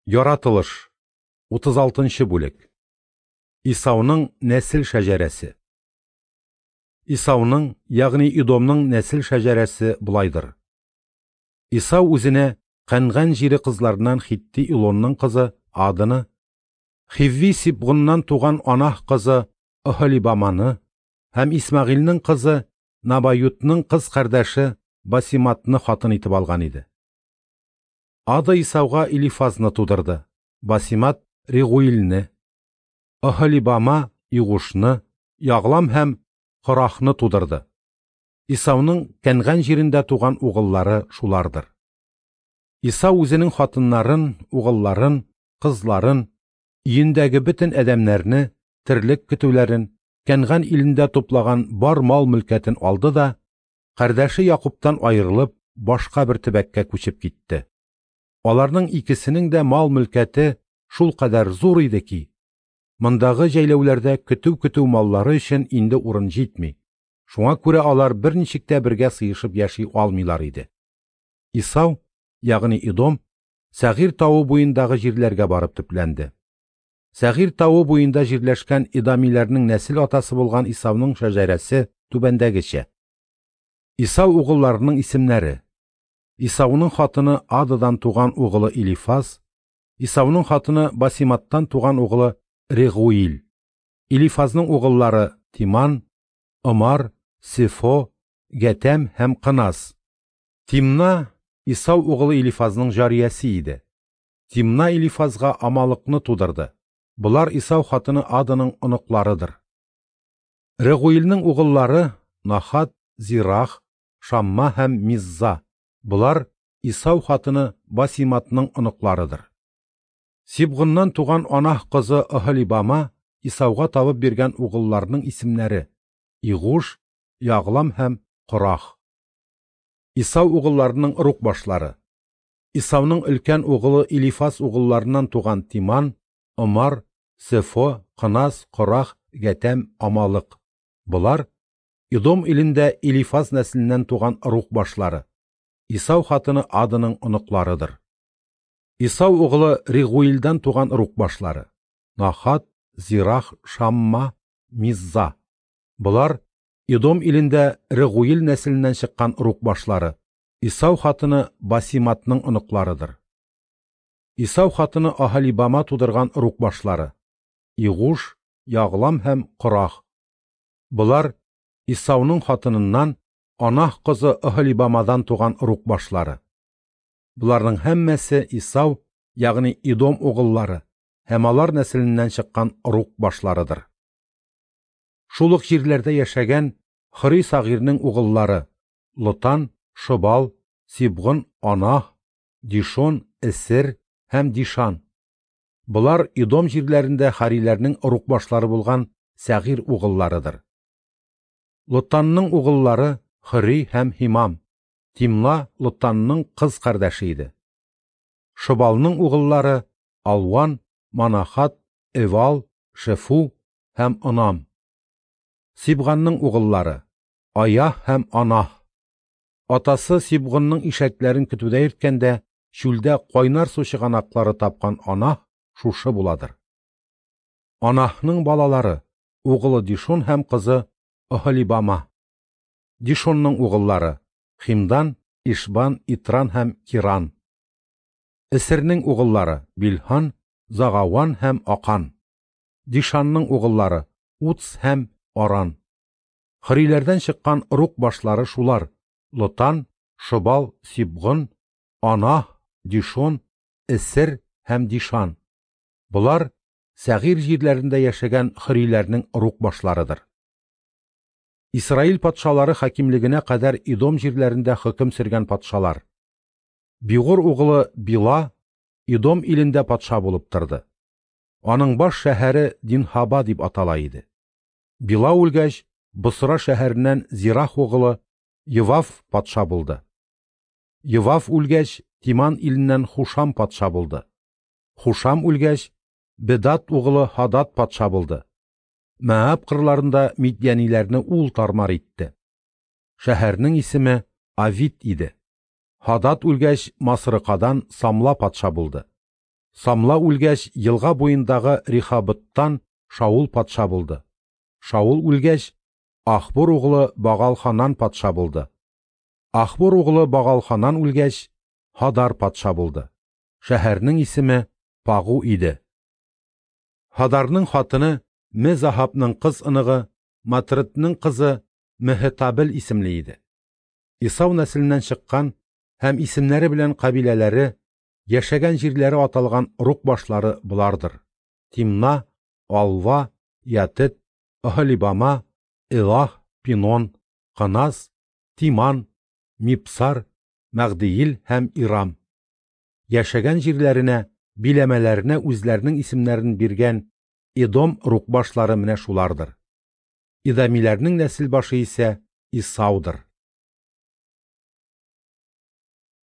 Яратылыш, 36 нчы бүлек. Исауның нәсел шәҗәрәсе. Исауның, ягъни Идомның нәсел шәҗәрәсе болайдыр. Исау үзенә Кәнган җире кызларыннан хитти Илонның кызы Аданы, хивви Сибгуннан туган Анаһ кызы Оһолибаманы һәм Исмәгыйльнең кызы Набаютның кыз кардәше Басиматны хатын итеп алган иде. Ада Исауга Илифазны тудырды, Басимат Регуилне, Оһолибама Игушны, Яглам һәм Корахны тудырды. Исауның Кәнган җирендә туган угыллары шулардыр. Исау үзенең хатыннарын, угылларын, кызларын, өендәге бөтен адәмнәрне, терлек көтүләрен, Кәнган илендә туплаган бар мал-мөлкәтен алды да, кардәше Якубтан аерылып, башка бер төбәккә күчеп китте. Аларның икесенең дә мал-мөлкәте шулкадәр зур иде ки, мондагы җәйләүләрдә көтү-көтү маллары өчен инде урын җитми. Шуңа күрә алар берничек тә бергә сыешып яши алмыйлар иде. Исау, ягъни Идом, Сәгыйрь тавы буендагы җирләргә барып төпләнде. Сәгыйрь тавы буенда җирләшкән идамиләрнең нәсел атасы булган Исауның шәҗәрәсе түбәндәгечә. Исау угылларының исемнәре: Исауның хатыны Ададан туган угылы Илифаз, Исауның хатыны Басиматтан туган угылы Регуил. Илифазның угыллары Тиман, Омар, Сефо, Гәтәм һәм Кыназ. Тимна Исау угылы Илифазның җариясе иде. Тимна Илифазга Амалыкны тудырды. Болар Исау хатыны Аданың оныкларыдыр. Регуилнең угыллары Нахат, Зирах, Шамма һәм Мизза. Болар Исау хатыны Басиматның оныкларыдыр. Сибгуннан туган Анаһ кызы Оһолибама Исауга табып биргән угылларының исемнәре: Игуш, Яглам һәм Корах. Исау угылларының ыруг башлары. Исауның өлкән угылы Илифаз угылларыннан туган Тиман, Омар, Сефо, Кыназ, Корах, Гәтәм, Амалык. Болар Идом илендә Илифаз нәселеннән туган ыруг башлары. Исау хатыны Аданың оныкларыдыр. Исау угылы Регуилдән туган ыруг башлары: Нахат, Зирах, Шамма, Мизза. Болар Идом илендә Регуил нәселеннән чыккан ыруг башлары. Исау хатыны Басиматның оныкларыдыр. Исау хатыны Аһалибама тудырган ыруг башлары: Игуш, Яглам һәм Корах. Болар Исауның хатыныннан Анаһ кызы Оһолибамадан туган ыруг башлары. Боларның һәммәсе Исау, ягъни Идом угыллары һәм алар нәселеннән чыккан ыруг башларыдыр. Шул ук җирләрдә яшәгән Хори Сагирнең угыллары: Лотан, Шобал, Сибгон, Анаһ, Дишон, Эсер һәм Дишан. Болар Идом җирләрендә хариләрнең ыруг башлары булган Сәгыйрь угылларыдыр. Лотанның угыллары Хори һәм Һимам. Тимна Лотанның кыз кардәше иде. Шобалның угыллары Алван, Манахат, Эвал, Шефу һәм Онам. Сибганның угыллары Аяһ һәм Анаһ. Атасы Сибгонның ишәкләрен көтүдә йөрткәндә, чүлдә кайнар су чыганаклары тапкан Анаһ шушы буладыр. Анаһның балалары: угылы Дишон һәм кызы Оһолибама. Дишонның угыллары: Химдан, Ишбан, Итран һәм Киран. Эсернең угыллары: Билһан, Загаван һәм Акан. Дишанның угыллары: Уц һәм Аран. Хөриләрдән чыккан ыруг башлары шулар: Лотан, Шобал, Сибгон, Анаһ, Дишон, Эсер һәм Дишан. Болар Сәгыйрь җирләрендә яшәгән хөриләрнең ыруг башларыдыр. Исраил патшалары хакимлегенә кадәр Идом җирләрендә хөкем сөргән патшалар. Бигур угылы Била Идом илендә патша булып торды. Аның баш шәһәре Динхаба дип атала иде. Била үлгәч, Босра шәһәреннән Зирах угылы Йовав патша булды. Йовав үлгәч, Тиман иленнән Хушам патша булды. Хушам үлгәч, Бедат угылы Хадад патша булды. Мәаб кырларында мидьяниләрне ул тармар итте. Шәһәрнең исеме Авит иде. Хадад үлгәч, Масрыкадан Самла патша булды. Самла үлгәч, елга буендагы Рихабыттан Шаул патша булды. Шаул үлгәч, Ахбур углы Багалханан патша булды. Ахбур углы Багалханан үлгәч, Хадар патша булды. Шәһәрнең исеме Пагу иде. Хадарның хатыны Мезахапның кыз оныгы, Матретның кызы Меһетабел исемле иде. Исау нәселеннән чыккан һәм исемнәре белән кабиләләре, яшәгән җирләре аталган ыруг башлары болардыр: Тимна, Алва, Ятет, Оһолибама, Элах, Пинон, Кыназ, Тиман, Мипсар, Мәгдиил һәм Ирам. Яшәгән җирләренә, биләмәләренә үзләренең исемнәрен биргән Эдом ыруг башлары менә шулардыр. Идомиләрнең нәсел башы исә Исаудыр.